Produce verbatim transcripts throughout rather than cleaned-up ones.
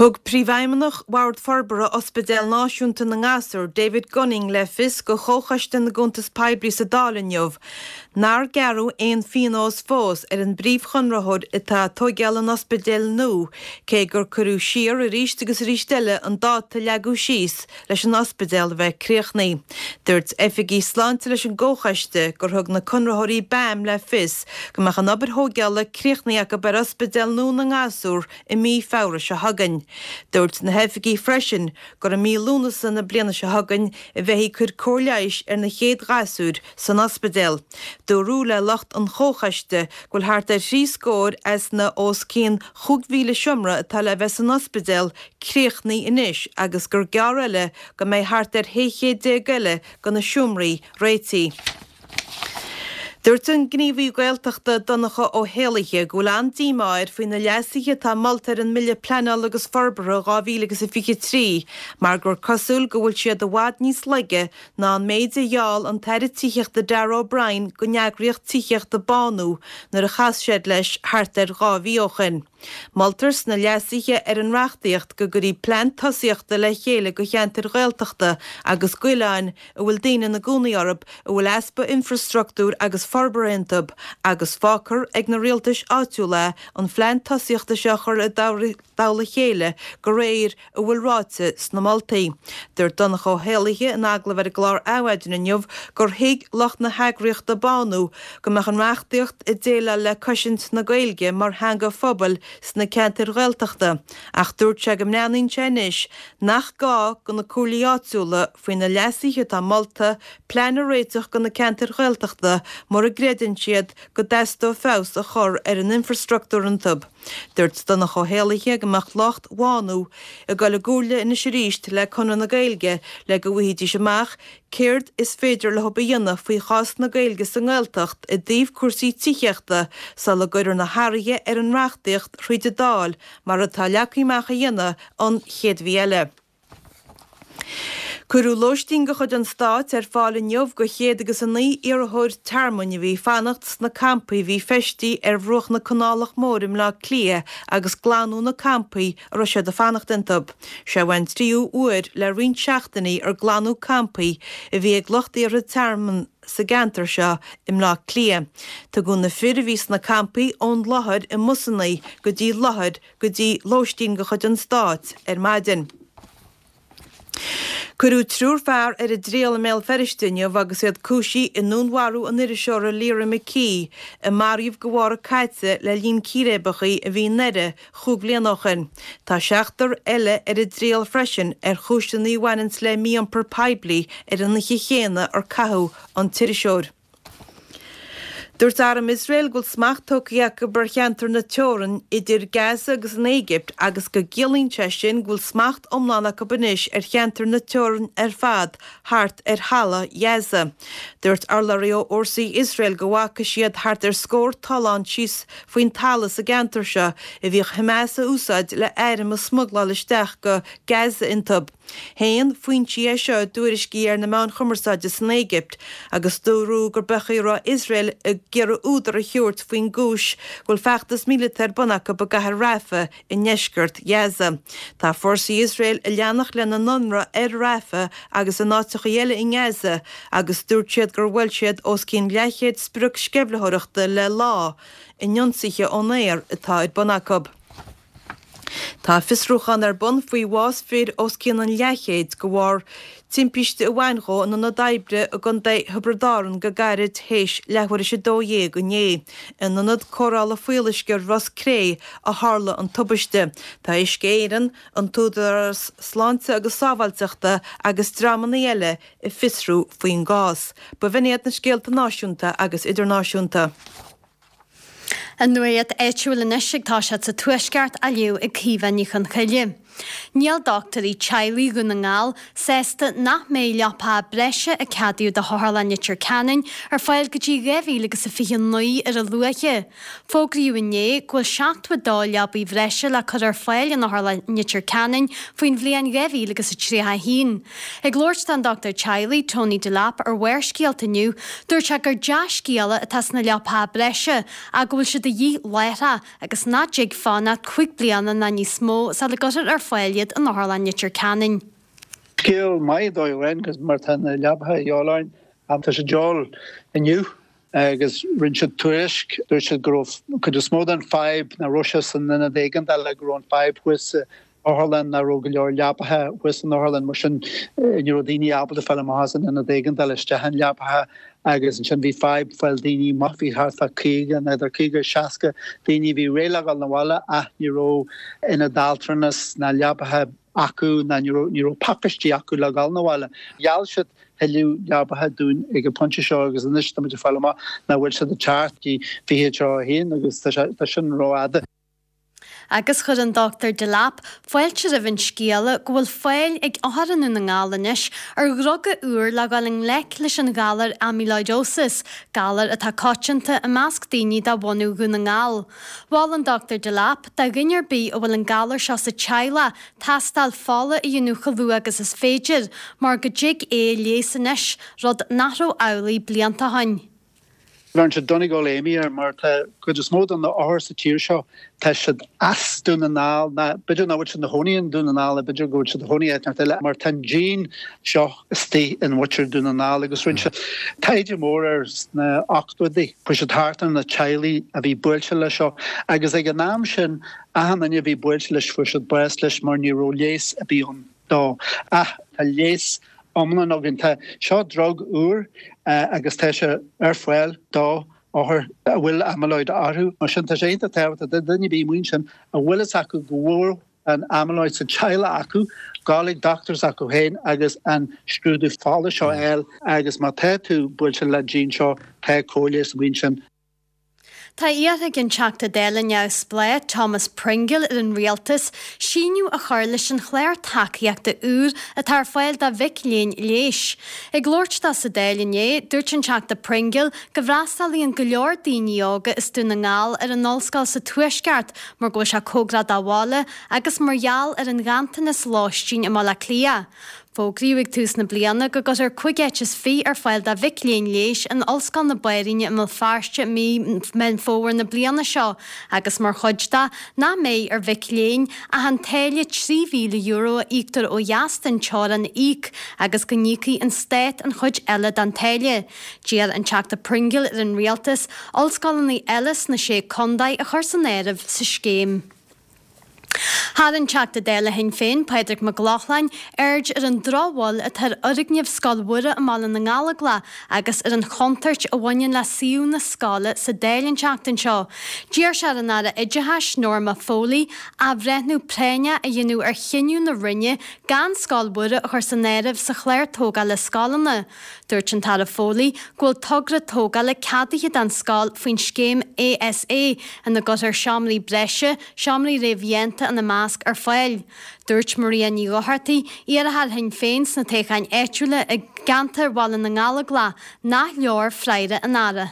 Thug Príomhfheidhmeannach Bhord Forbartha Ospidéal Náisiúnta na nGasúr, David Gunning, le fios go Chomhchoiste na gCuntas Poiblí sa Dáil inniu nár gearradh aon phionós fós ar an bpríomhchonraitheoir atá ag tóigeáil an ospidéil nua, cé gur cuireadh siar arís agus arís eile an dáta a leagadh síos leis an ospidéal a bheith críochnaithe. Dúirt oifigigh sláinte leis an gComhchoiste gur thug na conraitheoirí BAM le fios go mbeadh an obair thóigeála críochnaithe acu ar Ospidéal nua na nGasúr i mí Feabhra seo chugainn. Dúirt na hoifigigh freisin gur i mí Lúnasa na bliana seo chugainn a bheifí ag cur cóir leighis ar na chéad ghasúir san ospidéal. Dúradh le lucht an chomhchoiste go bhfuil thart ar thrí scór as na os cionn chúig mhíle seomra atá le bheith san ospidéal críochnaithe anois agus gur gearr eile go mbeidh thart ar shé chéad déag eile de na seomraí réitithe. Dúirt an gníomhaí Gaeltachta Donncha Ó hÉallaithe go bhfuil an-díomá air faoi na leasuithe atá molta ar an mBille Pleanála agus Forbartha dhá mhíle agus a fiche trí mar gur cosúil go bhfuil siad i bhfad níos laige ná an méid a gheall an tAire Tithíochta Darragh O'Brien don eagraíocht tithíochta Bánú nuair a chas siad leis thart ar dhá mhí ó shin. Moltar sna leasuithe ar an reachtaíocht go gcuirfí plean tosaíochta le chéile do cheantair Ghaeltachta agus d'oileáin a bhfuil daoine ina gcónaí orthu a bhfuil easpa infreastruchtúir agus forbartha iontu agus fágfar ag na rialtais áitiúla an phlean tosaíochta seo a chur i dtoll a chéile de réir a bhfuil ráite sna moltaí. Dúirt Donncha Ó hÉallaithe in agallamh ar an gclár Adhmhaidin inniu gur thuig lucht na heagraíochta Bánú go mbeadh an reachtaíocht ag déileáil le cosaint na Gaeilge mar theanga phobail sna ceantair Ghaeltachta ach dúirt sé go mbreathnaíonn sé anois nach gá do na comhairlí áitiúla faoi na leasuithe atá molta plean a réiteach do na ceantair Ghaeltachta mura gcreideann siad go dteastódh feabhas a chur ar an infreastruchtúr iontu. Dúirt Donncha Ó hÉallaithe go mbeadh lucht Bhánú ag dul i gcomhairle anois arís le Conradh na Gaeilge le go bhfaighidís amach céard is féidir leo a dhéanamh faoi chás na Gaeilge sa nGaeltacht i dtaobh cúrsaí tithíochta sula gcuirfear na hathruithe ar an reachtaíocht thríd an Dáil mar atá leagtha amach a dhéanamh an chéad mhí eile. Cuireadh lóistín de chuid an Stáit ar fáil inniu do chéad agus a naoi iarrthóir tearmainn a bhí ag fanacht sna campaí a bhí feistithe ar bhruach na Canálach Móire i mBleá Cliath agus glanadh na campaí a raibh siad ag fanacht iontu. Seo an tríú huair le roinnt seachtainí ar glanadh campaí a bhí ag lucht iarrtha tearmainn sa gceantar seo i mBleá Cliath. Tugadh na fir a bhí sna campaí ón láthair i mbusanna go dtí láthair go dtí lóistín de chuid an Stáit ar maidin. Cuireadh triúr fear ar a dtriail i mBéal Feirste inniu agus iad cúisithe i ndúnmharú an iriseora Lyra McKee, a maraíodh go mhárta caite le linn círéibeacha a bhí i nDoire chúig bliana ó shin. Tá seachtar eile ar a dtriail freisin ar chúiseanna a bhaineanns le mí-iompar poiblí ar an oíche chéanna ar caitheadh an t-iriseoir. Dúirt Arm Iosrael go bhfuil smacht tógtha acu ar cheantar na teorann idir Gaza agus an Éigipt agus go gciallaíonn sé sin go bhfuil smacht iomlán acu anois ar cheantar na teorann ar fad thart ar Halla Ghaza. Dúirt urlabhraí ó fhórsaí Iosrael go bhfaca siad thart ar scór tollán síos faoin talamh sa gceantar seo a bhíodh Hamas a úsáid le airm a smugláil isteach go Gaza iontu. Shéan foinsí é seo i dtuairiscí ar na meáin chumarsáide san Éigipt agus dúradh gur b'é a raibh Iosrael ag iarraidh údar a thabhairt faoin gcúis go bhfuil feachtas míleata ar bun acu i gcathair Rafah i ndeisceart Ghaza. Tá fórsaí Iosrael ag leanacht lena n-ionradh ar Rafah agus in áiteacha eile i nGaza agus dúirt siad gur bhuail siad os cionn leathchéad sprioc sceimhlitheoireachta le lá in ionsaithe ón aer atá ar bun acu. Tá fiosrúchán ar bun faoi bhás fir os cionn an leathchéid de bharr timpiste a bhain dhó in ionad oibre i gContae Thiobraid Árann go gairid théis leathuair théis a dó dhéag inné. In ionad cóireála fuíolluisce Ros Cré a tharla an tubaiste. Tá Uisce Éireann, an tÚdarás Sláinte agus Sábháilteachta agus dreamanna eile ag fiosrú faoin gcás. B'in iad na scéalta náisiúnta agus idirnáisiúnta. An nuacht áitiúil anois ag toiseacht sa Tuaisceart á léamh ag Caoimhe Ní Chonchoille. Níl dochtúirí teaghlaigh Dhún na nGall sásta nach mbeidh leapacha breise a ceadaíodh do Otharlann Leitir Ceanainn ar fáil go dtí dhá mhíle agus a fiche naoi ar a luaithe. Fógraíodh inné go bhfuil seachtó a dó leabaí bhreise le cur ar fáil in Otharlann Leitir Ceanainn faoin bhliain dhá mhíle agus a tríocha a haon. Ag labhairt don dochtúir teaghlaigh Tony Delap ar Bharrscéalta inniu, dúirt sé gur dea-scéala atá sna leapacha breise ach go bhfuil siad de de dhíth láithreach agus nach dtig fanacht cúig bliana ná níos mó sula gcuirfear ar fáil iad in Otharlann Leitir Ceanainn. Scéal maith dóigh amháin mar tá na leapacha de dhíobháil orainn tá sé de dhíobháil inniu agus rinne siad tuairisc dúirt siad go raibh cuid is mó den fadhb nach raibh sé san ionad éigeandála go raibh an fadhb thuas san otharlann nach raibh go leor leapacha thuas san otharlann mar sin ní raibh daoine ábalta fáil amach as an ionad éigeandála isteach in leapacha agus ansin bhí fadhb fáil daoine amach bhí thart fá caoga nó idir caoga is seasca daoine bhí réidh le dhul 'na bhaile ach ní raibh ionad altranais ná leapacha acu ná ní raibh ní raibh pacáistí acu le dhul 'na bhaile. Gheall siad tuilleadh leapacha dúinn ag an bpointe seo agus anois táimid ag fáil amach nach bhfuil siad ag teacht go dtí fiche tríocha a haon agus tá sin rófhada. Agus chuir an Dochtúir Delap fáilte roimh an scéala go bhfuil fáil ag othair i nDún na nGall anois ar dhruga úr le dhul i ngleic leis an ghalar amyloidosis, galar atá coitianta i measc daoine de bhunadh Dhún na nGall. Mhol an Dochtúir Delap do dhuine ar bith a bhfuil an galar seo sa teaghlach tástáil fola a dhéanamh chomh luath agus is féidir, mar go dtig é a leigheas anois, rud nach raibh amhlaidh blianta ó shin. Bheireann siad Donegal Amy air mar tá cuid is mó de na othair sa tír seo, tá siad as Dún na nGall, ná b'fhéidir nach bhfuil siad ina chónaí i nDún na nGall, b'fhéidir go bhfuil siad ina chónaí áit inteacht eile, mar tá an gene seo istigh in mhuintir Dún na nGall agus rinne siad taighde mór air sna ochtóidí. Chuaigh siad thart ar na teaghlaigh a bhí buailte leis seo agus ag an am sin achan duine a bhí buailte leis fuair siad bás leis mar ní raibh leigheas ar bith ann dó. Ach tá leigheas iomlán againn. Tá seo drug úr agus tá sé ar fáil do othair a bhfuil amyloid orthu. Mar sin tá sé iontach tábhachtach do dhuine ar bith amuigh ansin a bhfuil fhios acu go bhfuil an amyloid sa teaghlach acu, gabháil ag dochtúir s'acu féin agus an scrúdú fola seo a fháil agus má tá tú buailte le gene seo tá cóileas amuigh ansin. Tá iarrtha ag an Teachta Dála neamhspleách Thomas Pringle ar an Rialtas síneadh a chur leis an chlár tacaíochta úr atá ar fáil do mhic léinn leighis. Ag labhairt dó sa Dáil inné, dúirt an Teachta Pringle go bhfreastalaíonn go leor daoine óga as Dún na nGall ar an ollscoil sa Tuaisceart mar go bhfuil sé cóngarach dá bhaile agus mar gheall ar an ghanntanas lóistín i mBaile Átha Cliath. Fógraíodh ag tús na bliana go gcuirfear cúig áit is fiche ar fáil do mhic léinn leighis in Ollscoil na Banríona i mBéal Feirste i mí Meán Fómhair na bliana seo agus mar chuid de nach mbeidh ar mhic léinn ach an táille trí mhíle euro a íoctar ó dheas den teorainn a íoc agus go n-íocfaidh an stát an chuid eile den táille. D'iarr an Teachta Pringle ar an Rialtas ollscoileanna eile sna Sé Contae a chur san áireamh sa scéim. Tharraing Teachta Dála Shinn Féin, Pádraig Mac Lochlainn, aird ar an drochbhail atá ar fhoirgneamh Scoil Mhuire i mBaile na nGallóglach agus ar an chontúirt a bhaineann le suíomh na scoile sa Dáil an tseachtain seo. D'iarr sé ar an Aire Oideachais, Norma Foley, athbhreithniú práinneach a dhéanamh ar chinneadh na Roinne gan Scoil Mhuire a chur san áireamh sa chlár tógála scoileanna. Dúirt an tAire Foley go bhfuil togra tógála ceadaithe don scoil faoin scéim ASA ina gcuirfear seomraí breise, seomraí réamhdhéanta ina measc, ar fáil. Dúirt Maria Ní Dhochartaigh, iarrthóir Shinn Féin sna toghcháin áitiúla i gceantar Bhaile na nGallóglach, nach leor freagra an Aire.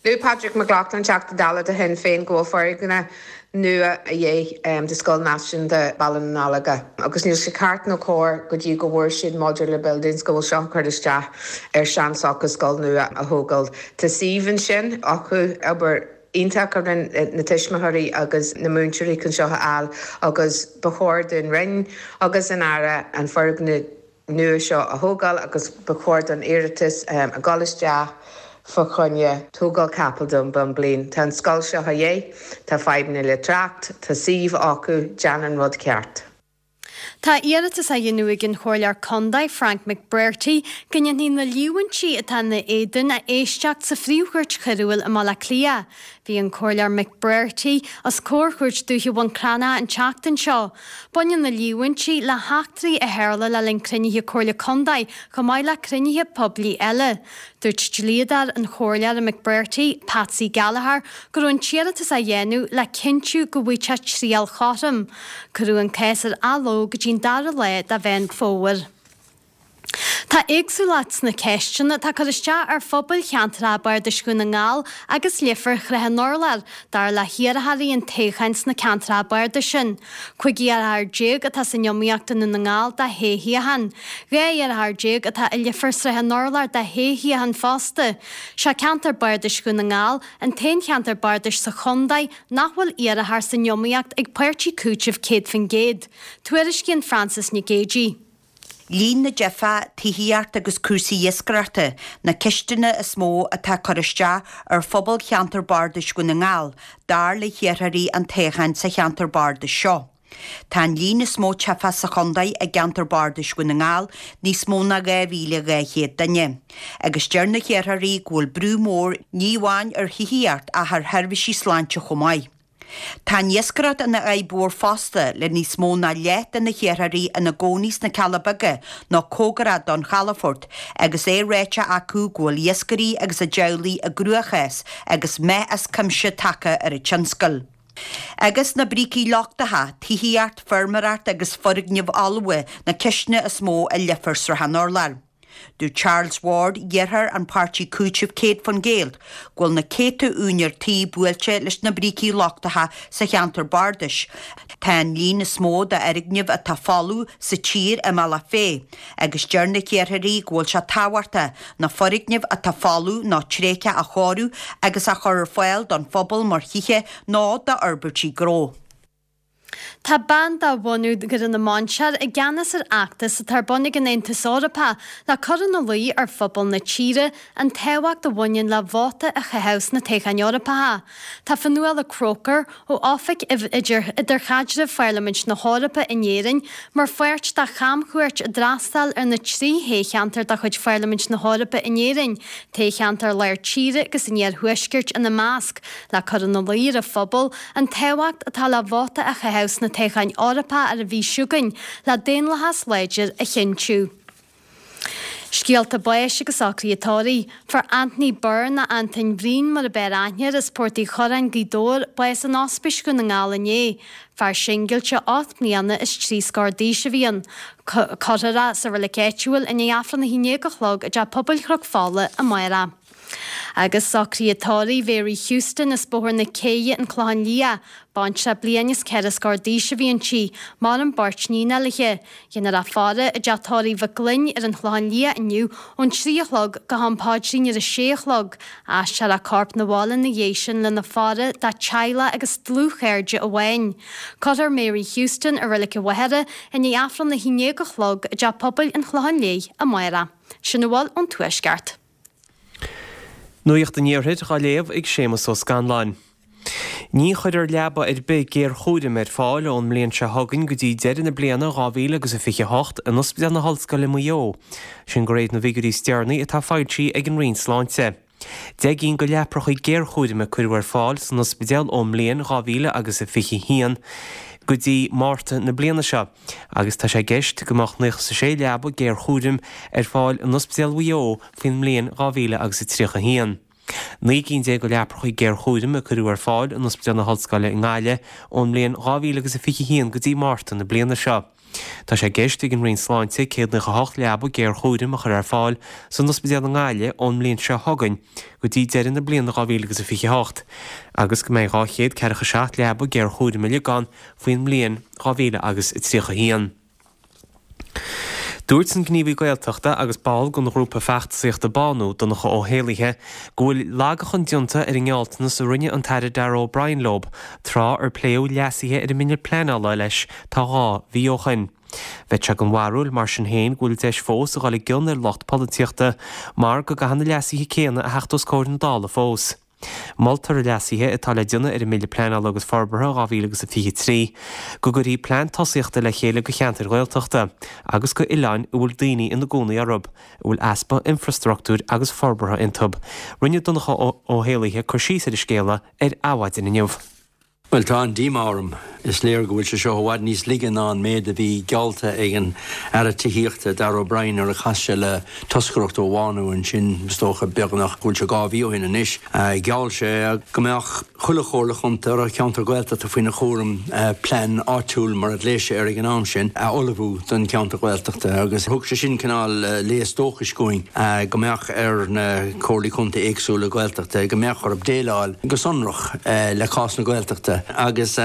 Luaigh Padraig Mac Lochlainn, Teachta Dála do Shinn Féin, go bhfuil foirgneamh nua a dhíth do Scoil Náisiúnta Bhaile na nGallóglach agus níl sé ceart nó cóir go dtí go bhfuair siad modular buildings go bhfuil seo curtha isteach ar seansocrú scoil nua a thógáil. Tá suíomh ansin acu, obair iontach a rinne na tuismitheoirí agus na múinteoirí chun seo a fháil agus ba chóir don Roinn agus an Aire an foirgneamh nua seo a thógáil agus ba chóir don iarratas a dhul isteach fá choinne tógáil capall don bhonn bliain. Tá an scoil seo a dhíth, tá fadhbanna le trácht, tá suíomh acu, déan an rud ceart. Tá iarratas á dhéanamh ag an Chomhairleoir Contae, Frank McBrearty, go ndéanfaí na líomhaintí atá ina éadan a éisteacht sa Phríomh-Chúirt Choiriúil i mBaile Átha Cliath. Bhí an Comhairleoir McBrearty os comhair Chúirt Dúiche Bhun Cranncha an tseachtain seo. Baineann na líomhaintí le heachtraí a tharla le linn cruinnithe Comhairle Contae chomh maith le cruinnithe poiblí eile. Dúirt dlíodóir an Chomhairleora McBrearty, Patsy Gallagher, go raibh an t-iarratas á dhéanamh le cinntiú go bhfaighidh sé triail chothrom. Cuireadh an cás ar athló go dtí an dara lá de Mheán Fómhair. Tá éagsúlacht sna ceisteanna atá ag cur isteach ar phobail cheantracha bardais Dhún na nGall agus Leifear Shraith an Urláir, dar le hiarrthóirí an toghcháin sna ceantracha bardais sin. Cúig iarrthóir déag atá san iomaíocht i nDún na nGall do shé shuíochán. Dhá iarrthóir déag atá i Leifear Sraith an Urláir do shé shuíochán fosta. Sé ceantar bardais Dhún na nGall an t-aon cheantar bardais sa chontae nach bhfuil iarrthóir san iomaíocht ag Páirtí Cúitimh céad faoin gcéad. Tuairiscíonn Frances Nic Géadaigh. Líon na dteifeach, tithíocht agus cúrsaí iascaireachta na ceisteanna is mó atá ag cur isteach ar phobal cheantar bardais Dhún na nGall, dar le hiarrthóirí an toghcháin sa cheantar bardais seo. Tá an líon is mó teifeach sa chontae i gceantar bardais Dhún na nGall, níos mó ná dhá mhíle dhá chéad duine. Agus deir na hiarrthóirí go bhfuil brú mór ní amháin ar thithíocht ach ar sheirbhísí sláinte chomh maith. Tá an iascaireacht ina fhadhb mhór fosta, le níos mó ná leath de na hiarrthóirí ina gcónaí sna Cealla Beaga nó cóngarach don chalafort, agus é ráite acu go bhfuil iascairí agus a dteaghlaigh i gcruachás agus meath as cuimse tagtha ar an tionscal. Agus na brící lochtacha, tithíocht, feirmeoireacht agus foirgnimh fholmha na ceisteanna is mó i Leifear Srath an Urláir. Dúirt Charles Ward, iarrthóir an páirtí Cúitimh céad faoin gcéad, go bhfuil na céadta úinéir tí buailte leis na brící lochtacha sa cheantar bardais. Tá an líon is mó d'fhoirgnimh atá folamh sa tír i mBealach Féich agus deir na hiarrthóirí go bhfuil sé tábhachtach na foirgnimh atá folamh nó tréigthe a chóiriú agus a chur ar fáil don phobal mar thithe nó d'fhorbairtí gnó. Tá bean de bhunadh Dhoire na Mainsear i gceannas ar fheachtas atá ar bun ag an Aontas Eorpach le cur ina luí ar phobal na tíre an tábhacht a bhaineann le vóta a chaitheamh sna toghcháin Eorpacha. Tá Fionnuala Croker ó Oifig Idirchaidrimh Pharlaimint na hEorpa in Éirinn mar pháirt de chamchuairt a d'fhreastail ar na trí thoghcheantar de chuid Pharlaimint na hEorpa in Éirinn, toghcheantar Lár Tíre agus an Iarthuaiscirt ina measc, le cur ina luí ar an phobal an tábhacht atá le vóta a chaitheamh sna toghcháin Eorpacha ar an mhí seo chugainn le daonlathas láidir a chinntiú. Scéalta báis agus socruithe tórraimh. Fuair Anthony Byrne nó Antain Bhriain mar ab fhearr aithne air as Port Uí Churráin, Gaoth Dobhair, bás in Ospís Dhún na nGall inné. Fear singilte ocht mbliana is trí scór d'aois a bhí ann. Cuirfear é sa reilig áitiúil i ndiaidh Aifreann a haon déag a chlog i dTeach Pobail Chnoc Fola amárach. Agus socruithe tórraimh Mary Houston as Bóthar na Céidhe, An Clochán Liath, baintreach bliain is ceithre scór d'aois a bhí inti, maireann beirt níon léi. Déanfar a faire i dteach tórraimh Mhic Gloinn ar an Chlochán Liath inniu ón trí a chlog go ham paidrín ar a sé a chlog. Aistreofar a corp 'na bhaile ina dhiaidh sin lena faire dá teaghlach agus dlúthchairde amháin. Cuirfear Mary Houston i Reilig an Mhachaire i ndiaidh Aifreann a haon déag a chlog i dTeach Pobail an Chlocháin Léith amárach. Sin a bhfuil ón Tuaisceart. Nuacht an Iarthair á léamh ag Séamus Ó Scanláin. Ní chuirfear leaba ar bith géarchúraim ar fáil ón mbliain seo chugainn go dtí deireadh na bliana dhá mhíle agus a fiche a hocht in Ospidéal na hOllscoile Maigh Eo. Sin de réir na bhfigiúirí is deireanaí atá foilsithe ag an Roinn Sláinte. Deich gcinn de leapracha géarchúraim a cuireadh ar fáil san ospidéal ón mbliain dhá mhíle agus a fiche a haon go dtí Márta na bliana seo agus tá sé i gceist go mbeadh naocha is a sé leaba géarchúraim ar fáil in Ospidéal Mhaigh Eo faoin mbliain dhá mhíle agus a tríocha a haon. Naoi gcinn déag de leapracha géarchúraim a cuireadh ar fáil in Ospidéal na hOllscoile i nGaillimh ón mbliain dhá mhíle agus a fiche a haon go dtí Márta na bliana seo. Tá sé i gceist ag an Roinn Sláinte céad naocha a hocht leaba géarchúraim a chur ar fáil san ospidéal i nGaillimh ón mbliain seo chugainn go dtí deireadh na bliana dhá mhíle agus a fiche a hocht agus go mbeidh dhá chéad ceathracha seacht leaba géarchúraim uilig ann faoin mbliain dhá mhíle agus a tríocha a haon. Dúirt an gníomhaí Gaeltachta agus ball den ghrúpa feachtasaíochta Bánú, Donncha Ó hÉallaithe, go bhfuil lagachan déanta ar an ngealltanas a rinne an tAire Darragh O'Brien leo tráth ar pléadh leasuithe ar an mBille Pleanála leis tá dhá mhí ó shin. Bheadh sé den bharúil, mar sin féin, go bhfuil deis fós a dhul i gcion ar lucht polaitíochta mar go gcaithfidh na leasuithe céanna a theacht os comhair na Dála fós. Moltar i leasuithe atá le déanamh ar an mBille Pleanála agus Forbartha dhá mhíle agus a fiche a trí go gcuirfí plean tosaíochta le chéile do cheantair Ghaeltachta agus do oileáin a bhfuil daoine ina gcónaí orthu, a bhfuil easpa infreastruchtúir agus forbartha iontu. Rinne Donncha Ó hÉallaithe cur síos ar an scéala ar Adhmhaidin inniu. Bhuel, tá an-díomá orm. Is léir go bhfuil sé seo i bhfad níos laige ná an méid a bhí geallta ag an Aire Tithíochta, Darragh O'Brien, nuair a chas sé le toscaireacht ó Bhánú ansin, is dócha, beagnach go bhfuil sé dhá mhí ó shin anois. Gheall sé go mbeadh chuile chomhairle chontae a raibh ceantar Gaeltachta faoina chúram plean áitiúil, mar a ghlaoigh sé air ag an am sin, a ullmhú don cheantar Gaeltachta agus thug sé sin cineál léas dóchais dhúinn go mbeadh ar na comhairlí contae éagsúla Gaeltachta go mbeadh orthu déileáil go sonrach le cás na Gaeltachta agus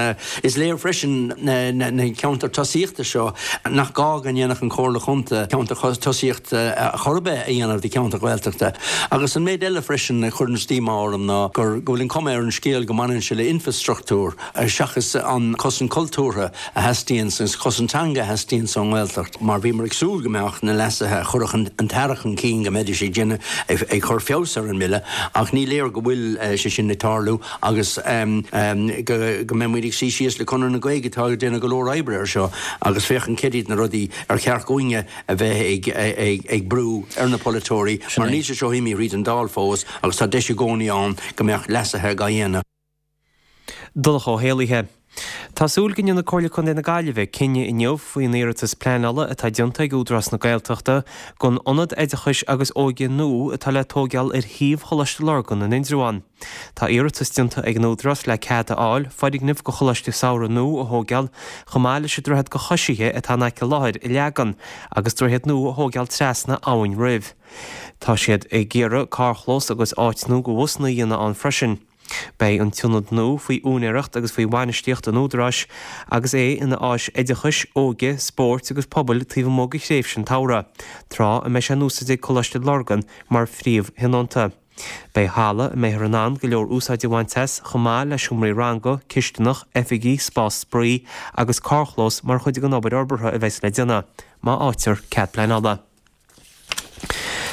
is léir freisin na ceantair tosaíochta seo nach gá go ndéanfadh an Chomhairle Chontae ceantar tosaíochta chor ar bith a dhéanamh de cheantar Ghaeltachta. Agus an méid eile freisin a chuireanns díomá orm ná gur go bhfuil an cuma ar an scéal go mbaineann sé le infrastruchtúr seachas an cosaint cultúrtha a theastaíonns agus cosaint teanga a theastaíonns ón nGaeltacht mar bhíomar ag súil go mbeadh na leasuithe a chuirfeadh an tAire chun cinn go mbeidís ag déanamh ag cur feabhas ar an mBille ach ní léir go bhfuil sé sin ag tarlú agus go mbeidh muid ag suí síos le Conradh na Gaeilge atá ag déanamh go leor oibre air seo agus féachaint céard iad na rudaí ar cheart dhúinne a bheith ag brú ar na polaiteoirí mar níl sé seo imithe thríd an Dáil fós agus tá deis i gcónaí ann go mbeadh leasuithe á dhéanamh. Donncha Ó hÉallaithe. Tá súil go ndéanfaidh Comhairle Contae na Gaillimhe cinneadh inniu faoin iarratas pleanála atá déanta ag Údarás na Gaeltachta don ionad oideachais agus óige nua atá le tóigeáil ar shuíomh Choláiste Lurgan in Indreabhán. Tá iarratas déanta ag an Údarás le cead a fháil foirgneamh do choláiste samhraidh nua a thóigeáil chomh maith leis an droichead do choisithe atá in aice láthair a leagan agus droichead nua a thóigeáil trasna Abhainn Roimh. Tá siad ag iarraidh carrchlós agus áit nua do bhusanna a dhéanamh ann freisin. Beidh an t-ionad nua faoi úinéireacht agus faoi bhainistíocht an Údaráis agus é ina áis oideachais, óige, spóirt agus pobail taobh amuigh de thréimhse an tsamhraidh, tráth a mbeidh sé in úsáid ag Coláiste Lurgan mar phríomhthionónta. Beidh halla a mbeifear in ann go leor úsáid a bhaint as, chomh maith le seomraí ranga, cisteanach, oifigí, spás spraoi agus carrchlós mar chuid den obair fhorbartha a bheas le déanamh, má fhaightear cead pleanála.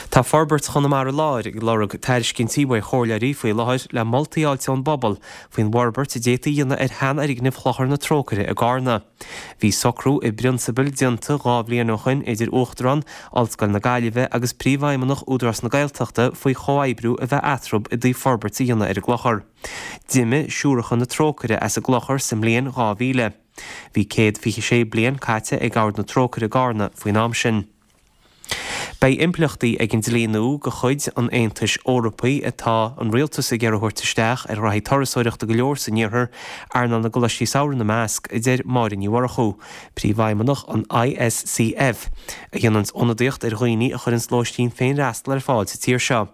Tá Forbairt Chonamara Láir ag lorg tairiscintí uaidh chomhairleoirí faoi láthair le moltaí a fháilt ón bpobal faoin bhforbairt a d'fhéadfaí a dhéanamh ar sheanfhoirgneamh Chlochar na Trócaire i gCarna. Bhí socrú i bprionsabal déanta dhá bhliain ó shin idir Uachtarán Ollscoil na Gaillimhe agus Príomhfheidhmeannach Údarás na Gaeltachta faoi chomhoibriú a bheith eatarthu i dtaobh forbairt a dhéanamh ar an gclochar. D'imigh Siúracha na Trócaire as an gclochar sa mbliain dhá mhíle. Bhí céad fiche sé bliain caite ag Ord na Trócaire i gCarna faoin am sin. Beidh impleachtaí ag an dlí nua de chuid an Aontais Eorpaigh atá an rialtas ag iarraidh a thabhairt isteach ar ghraithí turasóireachta go leor san iarthar, earnáil na gcoláistí samhraidh ina measc, a deir Máire Ní Mhurchú, príomhfheidhmeannach an I S C F, a dhéananns ionadaíocht ar dhaoine a chuireanns lóistín féinfhreastail ar fáil sa tír seo.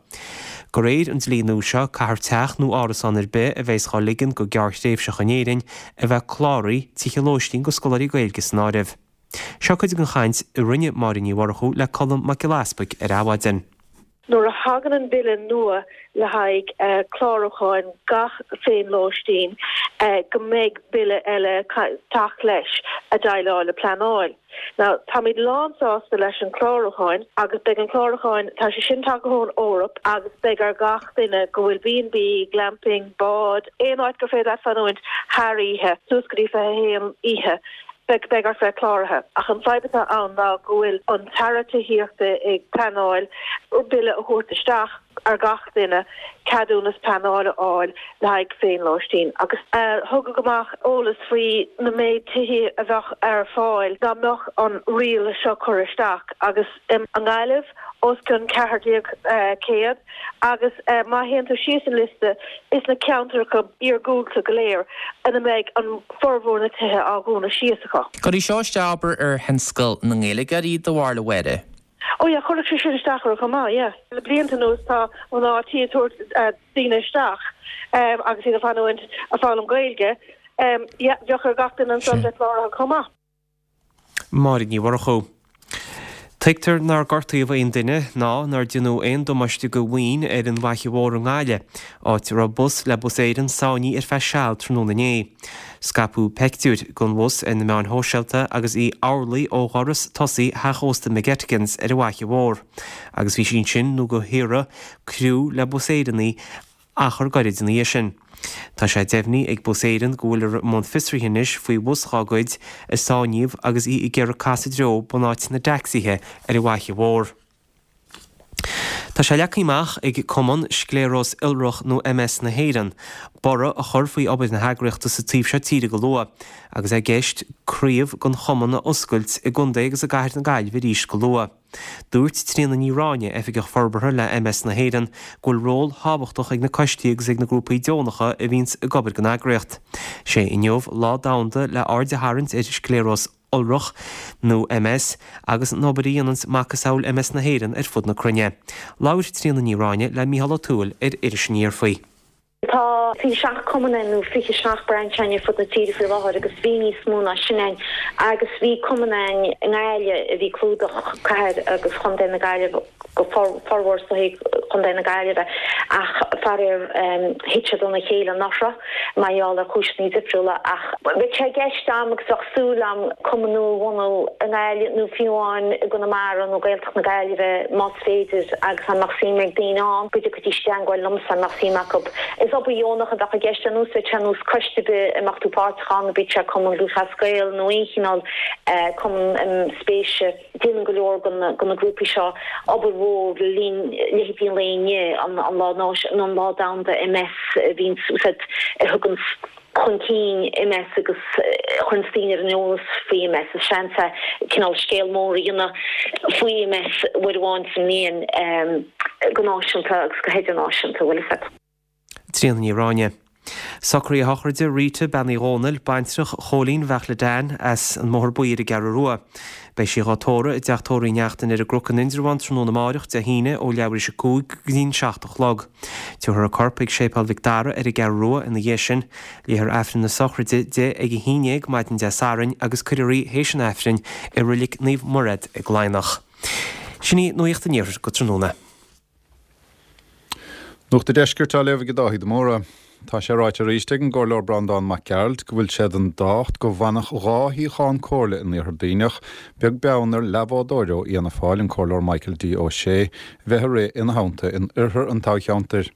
De réir an dlí nua seo, caithfear teach nó árasán ar bith a bheas dhá ligean go gearrthréimhseach in Éirinn a bheith cláraithe, tithe lóistín do scoláirí Gaeilge san áireamh. Seo cuid den chaint a rinne Máire Ní Mhurchú le Colm Mac Giolla Easpaig ar Adhmhaidin. Nuair a thagann an bille nua le haghaidh clárúcháin gach féinlóistín, go mbeidh bille eile teacht leis a déileáil le pleanáil. Now, táimid lánsásta leis an clárúcháin agus beidh an clárúcháin, tá sé sin tagtha ón Eoraip agus beidh ar gach duine go bhfuil B and B, glamping, bád, aon áit gur féidir leat fanúint thar oíche, suas go dtí fiche a haon oíche, beidh beidh ort bheith cláraithe. Ach an fadhb atá ann ná go bhfuil an tAire Tithíochta ag pleanáil bille a thabhairt isteach ar gach duine ceadúnas pleanála a fháil le haghaidh féinlóistín. Agus tugadh amach eolas faoi na méid tithe a bheadh ar fáil dá mbeadh an riail seo curtha isteach agus i nGaillimh os cionn ceathair déag céad agus má théann tú síos an liosta is na ceantracha iargúlta go léir ina mbeidh an formhór na tithe á dhúnadh síos acu. Cuirfidh seo isteach abair ar thionscal na nGaeilgeoirí do bharúil a Mháire? Ó yeah, chuirfeadh sé sin isteach orthu chomh maith, yeah. Le blianta anuas tá mná tí ag tabhairt daoine isteach agus iad ag fanúint ag foghlaim Gaeilge. Yeah, bheadh ar gach duine ansan bheith cláraithe chomh maith. Máire Ní Mhurchú. Tuigtear nár gortaíodh aon duine ná nár deineadh aon damáiste do mhaoin ar an bhFaiche Mhór i nGaillimh, áit a raibh bus le Bus Éireann sáinnithe ar feadh seal tráthnóna inné. Scaipeadh peictiúir den bhus ar na meáin shóisialta agus í amhlaidh ó dhoras tosaigh theach ósta McGettigans ar an bhFaiche Mhór agus bhí sí ansin nó go hiarradh criú le Bus Éireann í achar gairid ina dhiaidh sin. Tá sé deimhnithe ag Bus Éireann go bhfuiltear i mbun fiosraithe anois faoi bhus dhá gcuid a sáinníodh agus í ag iarraidh casadh i dtreo bunáite na dtacsaithe ar an bhFaiche Mhór. Tá sé leagtha amach ag Cumann Scléaróis Iolrach nó MS na hÉireann borradh a chur faoi obair na heagraíochta sa taobh seo tíre go luath, agus é i gceist craobh den chumann a oscailt i gcontae agus i gcathair na Gaillimhe arís go luath. Dúirt Tríona Ní Ráinne, Oifigeach Forbartha le MS na hÉireann, go bhfuil ról thábhachtach ag na coistí agus ag na grúpaí deonacha a bhíonns ag obair don eagraíocht. Sé inniu lá domhanda le aird a tharraingt ar scléaróis iolrach, nó MS, agus an obair a dhéananns macasamhail MS na hÉireann ar fud na cruinne. Labhair Tríona Ní Ráinne le Mícheál Ó Tuathail ar Iris Aniar faoi. Tá fiche seacht cumann ann nó fiche seacht brainse ann ar fud na tíre faoi láthair agus bhí níos mó ná sin ann agus bhí cumann ann i nGaillimh a bhí ag clúdach cathair agus chontae na Gaillimhe go formhór sa chontae na Gaillimhe ach faraor thit siad óna chéile anuraidh mar gheall ar chúiseanna difriúla ach bheadh sé i gceist agam agus bheadh súil agam cumann nua a bhunú i nGaillimh nó fiú amháin i gConamara nó Gaeltacht na Gaillimhe más féidir agus dá mbeadh suim ag daoine ann go dtiocfaidís i dteangmháil liomsa dá mbeadh suim acu. Is obair dheonach a bheadh i gceist ar nós bheadh sé ar nós coiste ar bith a mbeadh tú páirteach ann, bíodh sé Cumann Lúthchleas Gael nó aon chineál cumann spéise. Déanann go leor de na grúpaí seo obair mhór le linn leithéidí an lae inniu, an lá nó an lá domhanda MS a bhíonn a thugann chun cinn MS agus a chuireanns daoine ar an eolas faoi MS. Is seans é cineál scéal mór a dhéanamh faoi MS uair amháin sa mbliain go náisiúnta agus go hidirnáisiúnta, bhfuil fhios agat. Tríona Ní Ráinne. Socruithe sochraide Rita, Bean Uí Dhónaill, baintreach Chóilín Bheachla Dan as an mBóthar Buí ar an gCeathrú Rua. Beidh sí dhá tórramh i dTeach Tórraimh Uí Neachtain ar an gCnoc in Indreabhán tráthnóna amáireach, Dé hAoine, ó leathuair théis a cúig go dtí'n seacht a chlog. Tabharfar a corp chuig Séipéal Mhic Dara ar an gCeathrú Rua ina dhiaidh sin. Léifear Aifreann na sochraide di ag a haon déag maidin Dé Sathairn agus cuirfear í théis an Aifrinn i Reilig Naomh Mairéad i gCladhnach. Sin í Nuacht an Iarthair go tráthnóna. Nuacht an Deiscirt á léamh ag Dáithí de Mórdha. Tá sé ráite arís ag an gComhairleoir Breandán Mac Gearailt go bhfuil sé den dá ucht go bhfanfadh dhá shuíochán comhairle in Iarthar Duibhneach, beag beann ar leathbhádóir ó Fhianna Fáil, an Comhairleoir Michael D. Ó Sé, bheith ag rith ina theannta in oirthear an toghcheantair.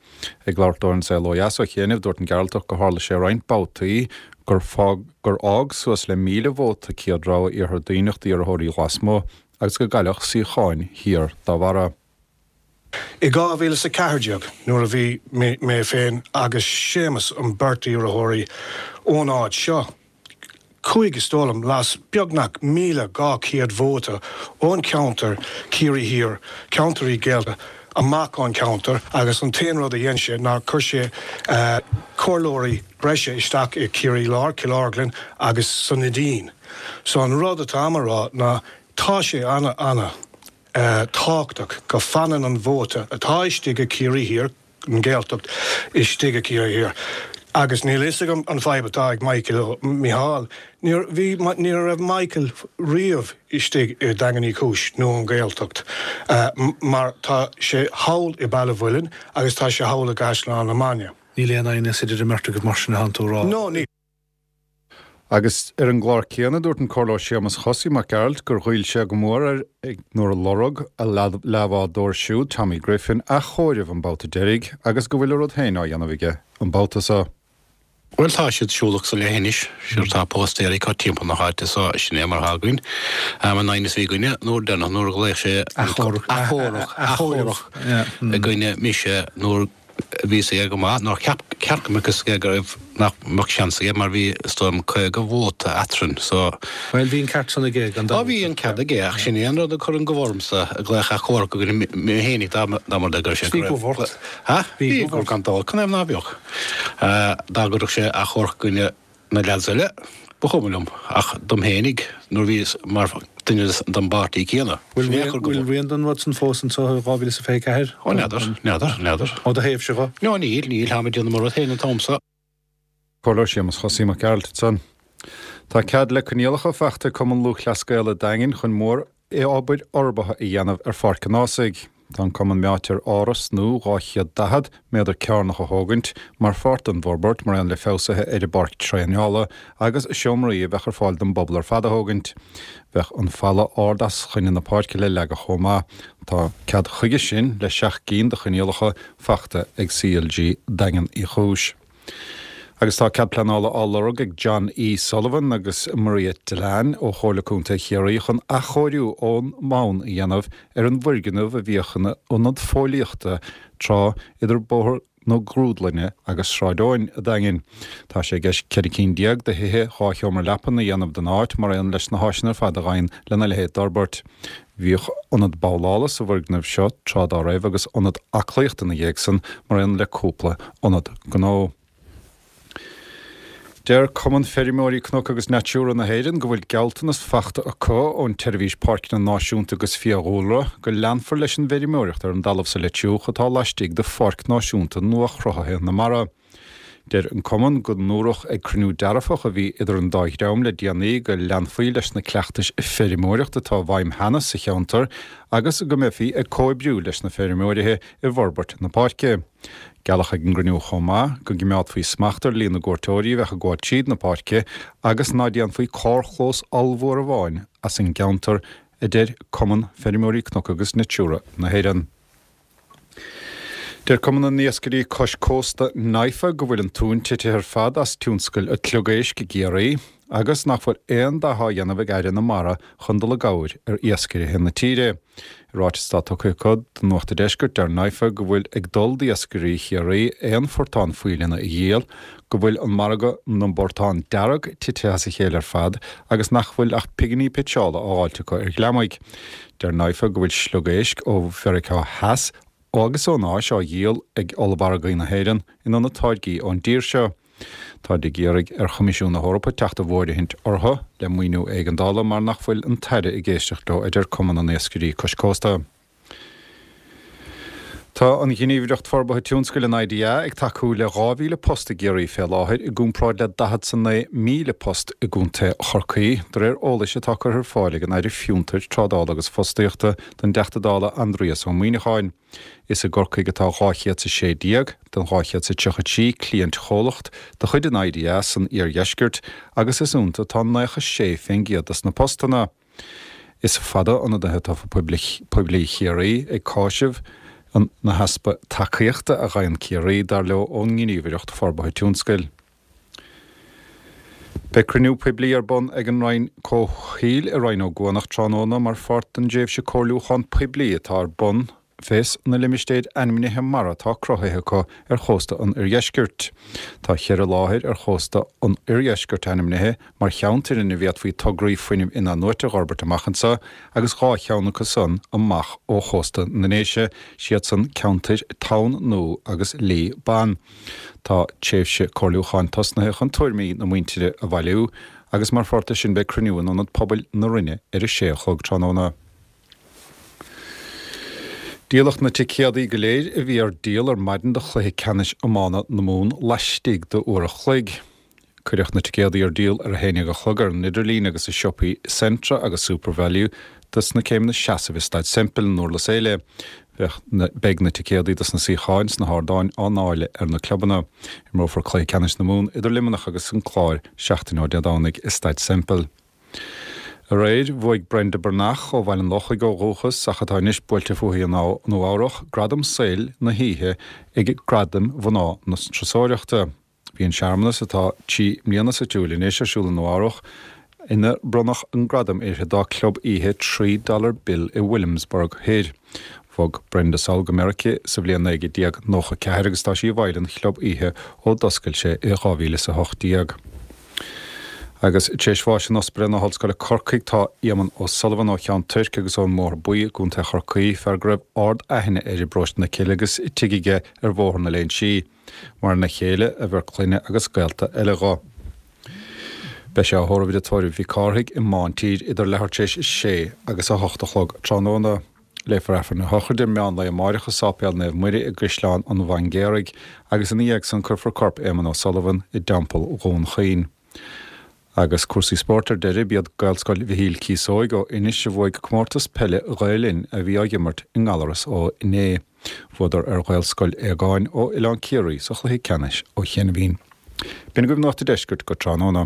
Ag labhairt dó ar An Saol Ó Dheas ó chianaibh, dúirt an Gearaltach gur tharla sé roinnt babhtaí gur gur fhág suas le míle vóta céad rogha Iarthar Duibhneach d'iarrthóirí lasmuigh agus go gcailleadh suíocháin thiar dá bharra. I dhá mhíle is a ceathair déag, nuair a bhí mé féin agus Séamus an beirt iarrthóirí ón áit seo, chuaigh is dóigh liom las beagnach míle dhá chéad vóta ón cheantar Ciarraí Thiar, ceantairí Gaeltachta, amach ón cheantar agus an t-aon rud a dhein sé ná chuir sé comhairleoirí breise isteach i Ciarraí Láir, Cill Orglan agus sa Neidín. So an rud atáim a rá ná tá sé ana ana. tábhachtach go fanann an vóta atá istigh i Ciarraí Thiar, an Ghaeltacht, istigh i Ciarraí Thiar. Agus níl a fhios agam an fadhb atá ag Michael, Micheál, níor bhí, ní raibh Michael riamh istigh i Daingean Uí Chúis nó an Ghaeltacht mar tá sé thall i Baile Mhuilinn agus tá sé thall i gCaisleán na Mainge. Níl aon aighneas idir an mbeirt agaibh mar sin atánn tú a rá? No, níl. Agus ar an gclár céanna, dúirt an Comhairleoir Séamus Chosaí Mac Gearailt gur ghoill sé go mór air nuair a lorg a leathbhádóir siúd, Tommy Griffin, athchomhaireamh an babhta deiridh agus go bhfuil a rud féin á dhéanamh aige an babhta seo. Bhuel, tá siad siúlach sa leithinis, sure tá póstaerí acu timpeall na háite so sin é mar atá againn. An aighneas a bhí againne nuair deireanach nuair a ghlaoch sé Athchomhaireamh. Athchomhaireamh i gcoinne mise nuair Bhí fhios aige go maith nár cheap ceart go mbeadh fhios aige go raibh, nach mbeadh seans aige mar bhí, is dóigh liom, caoga vóta eatrainn so. Bhuel, bhí an ceart san aige gan dabht. Á bhí an ceart aige ach sin é an rud a chuireann gomh ormsa ag glaoch achomharc i gcoinne mé fhéinig dá mba rud é go raibh sé Bhí gomh ort. Ha? Bhí gomh gan dabht, canathaobh ná beadh? Dá gcuirfeadh sé achomharc i gcoinne na leaids eile, ba chuma liom, ach dom fhéinig, nuair bhíos mar duine den bpáirtí céanna. Bhfuil rian, rian den rud san fós anso i dhá mhíle is a fiche ceathair? Ó, n'fheadar, n'fheadar, n'fheadar. Ó do thaobhse dho? No, níl, níl, táim ag déanamh mo rud féin an t-am so. Comhairleoir Séamus Chosaí Mac Gearailt ansan. Tá cead le coinníollacha faighte ag Cumann Lúthchleas Gael an Daingin chun mór obair fhorbartha a dhéanamh ar Pháirc an Ághasaigh. Tá an cumann meáite ar áras nua dhá chéad daichead méadar cearnach a thógaint mar pháirt den bhforbairt, mar aon le feabhsuithe ar an bpáirc traenála agus seomraí a bheadh ar fáil don bpobal ar fad a thógaint. Bheadh an falla ard as coinne na páirce le leagadh chomh maith. Tá cead chuige sin le seacht gcinn de choinníollacha faighte ag C L G Daingean Uí Chúis. Agus tá cead pleanála á lorg ag John E. Sullivan agus Maria Dillane ó Chomhairle Contae Chiarraí chun athchóiriú ón mbonn a dhéanamh ar an bhfoirgneamh a bhíodh ina ionad fóillíochta tráth idir Bóthar na Grúdlainne agus Sráid Eoin an Daingin. Tá sé i gceist ceithre cinn déag de thithe dhá sheomra leapan a dhéanamh den áit mar aon leis na háiseanna ar fad a ghabhann lena leithéid d'fhorbairt. Bhíodh ionad babhlála sa bhfoirgneamh seo tráth dá raibh agus ionad aclaíochta ina dhiaidh san mar aon le cúpla ionad gnó. Deir Cumann Feirmeoirí Cnoc agus Natura na hÉireann go bhfuil gealltanas faighte acu ón tSeirbhís Páirceanna Náisiúnta agus Fiadhúlra go leanfar leis an bhfeirmeoireacht ar an dtalamh sa Leitriúch atá laistigh de Pháirc Náisiúnta nuachruthaithe na Mara. Deir an Cumann go ndúradh ag cruinniú dearfach a bhí idir an dá dhream le déanaí go leanfaí leis na cleachtais feirmeoireachta atá i bhfeidhm cheana sa cheantar agus go mbeifí ag comhoibriú leis na feirmeoirithe i bhforbairt na páirce. Gealladh ag an gcruinniú chomh maith go gcoimeádfaí smacht ar líon na gcuairteoirí a bheadh ag gabháil tríd na páirce agus ná déanfaí carrchlós ollmhór amháin as an gceantar, a deir Cumann Feirmeoirí Cnoc agus Natura na hÉireann. Deir Cumann na nIascairí Cois Cósta, NIFA, go bhfuil an tóin tite ar fad as tionscal an tSliogéisc i gCiarraí agus nach bhfuil aon dath á dhéanamh ag Aire na Mara chun dul i gcabhair ar iascairithe na tíre. I ráiteas atá tugtha acu do Nuacht an Deiscirt, deir NIFA go bhfuil ag dul d'iascairí Chiarraí aon phortán faoileanna a dhíol, go bhfuil an margadh na bportán dearg tite as a chéile ar fad agus nach bhfuil ach pinginí pitseála á fháilt acu ar ghliomaigh. Deir NIFA go bhfuil sliogéisc ó Mheiriceá Theas agus ón Áis á dhíol ag ollmhargaí na hÉireann in ionad táirgí ón dtír seo. Táid ag iarraidh ar Choimisiún na hEorpa teacht i bhfóirithint orthu le maoiniú éigeandála mar nach bhfuil an tAire ag éisteacht leo, a deir Cumann na nIascairí Cois Cósta. Tá an Ghníomhaireacht Forbartha Tionscail, an IDA, ag tacú le dhá mhíle post i gCiarraí fé láthair i gcomparáid le daichead 's a naoi míle post i gContae Chorcaí, de réir eolais atá curtha ar fáil ag an Aire Fiontair, Trádála agus Fostaíochta don dTeachta Dála Aindrias Ó Muimhneacháin. Is i gCorcaigh atá dhá chéad 's a sé déag den dhá chéad 's a tríocha trí cliaint-chomhlacht de chuid an IDA san iardheisceart agus is iontu atá naocha sé fén gcéad dos na postanna. Is fada ionadaithe tofa poiblí Chiarraí ag cáiseamh na heaspa tacaíochta a gheibheann Ciarraí, dar leo, ón nGníomhaireacht Forbartha Tionscail. Beidh cruinniú poiblí ar bun ag an Roinn Comhshaoil i Rinn Ó gCuanach tráthnóna mar pháirt den dtréimhse comhairliúchán poiblí atá ar bun fés na limistéir ainmnithe mara atá cruthaithe acu ar chósta an oirdheiscirt. Tá cheithre láthair ar chósta an oirdheiscirt ainmnithe mar cheantair ina bhféadfaí tograí fuinnimh in-athnuaite a dh'fhorbairt amach anseo agus dhá cheann acu san amach ó chósta na nDéise, siad san ceantair Tonn Nua agus Lí Ban. Tá tréimhse comhairliúcháin tosnaithe chun tuairimí na muintire a bhailiú agus mar pháirt de sin beidh cruinniú in Ionad Pobail na Rinne ar a sé a chlog tráthnóna. Díoladh na ticéadaí go léir a bhí ar díol ar maidin do chluiche ceannais iomána na Mumhan laistigh d'uair a chloig. Cuireadh na ticéadaí ar díol ar a haon déag a chlog ar an idirlíon agus i siopaí Centra agus Supervalu dos na céimeanna seasaimh i Staid Semple i nDurlas Éile. Beidh na ticéadaí dos na suíocháin sna hardáin á ndáileadh ar na clubanna. Imreofar cluiche ceannais na Mumhan idir Luimneach agus an Clár seachtain ó Dé Domhnaigh i Staid Semple. Aréir, bhuaigh Brenda Breathnach, ó Bhaile an Lochaigh ó dhúchas ach atá anois buailte fúithi i Nua Eabhrach, gradam saoil na hoíche ag Gradaim Mhná na Turasóireachta. Bhí an searmanas, atá trí mbliana sa tsiúl anois, ar siúl i Nua Eabhrach, ina bronnadh an gradam uirthi dá club oíche Three Dollar Bill i Williamsburg Thoir. Bhog Brenda sall go Meiriceá sa bhliain naoi déag nócha ceathair agus tá sí i bhfeighil an chlub oíche ó d'oscail sé i dhá mhíle is a hocht déag. Agus tar éis bháis in Ospidéal na hOllscoile Corcaigh tá Éamonn O'Sullivan ó Cheann Toirc agus ón mBóthar Buí i gContae Chorcaí, fear go raibh ard-aithne air i bparóiste na Cille agus tigh aige ar Bhóthar na Léinsí. Maireann a chéile, a bheirt clainne agus gaolta eile dho. Beidh sé á thórramh i dTigh Tórraimh Mhic Cárthaigh i mBántír idir leathuair tar éis a sé agus a hocht a chlog tráthnóna. Léifear Aifreann na sochraide meán lae amáireach i Sáipéal Naomh Muire i gCaisleán an Bhaingéaraigh agus ina dhiaidh san cuirfear corp Éamonn O'Sullivan i dTeampall Dhún Chaoin. Agus cúrsaí spóirt ar deireadh, b'iad Gaelscoil Mhichíl Cíosóig ó Inis a bhuaigh comórtas peile Ghael Linn a bhí á dh'imirt i nGallaras ó inné. Bhuadar ar Ghaelscoil Aogáin ó Oileán Ciarraí sa chluiche ceannais ó chianaibhín. B'in agaibh Nuacht an Deiscirt go tráthnóna.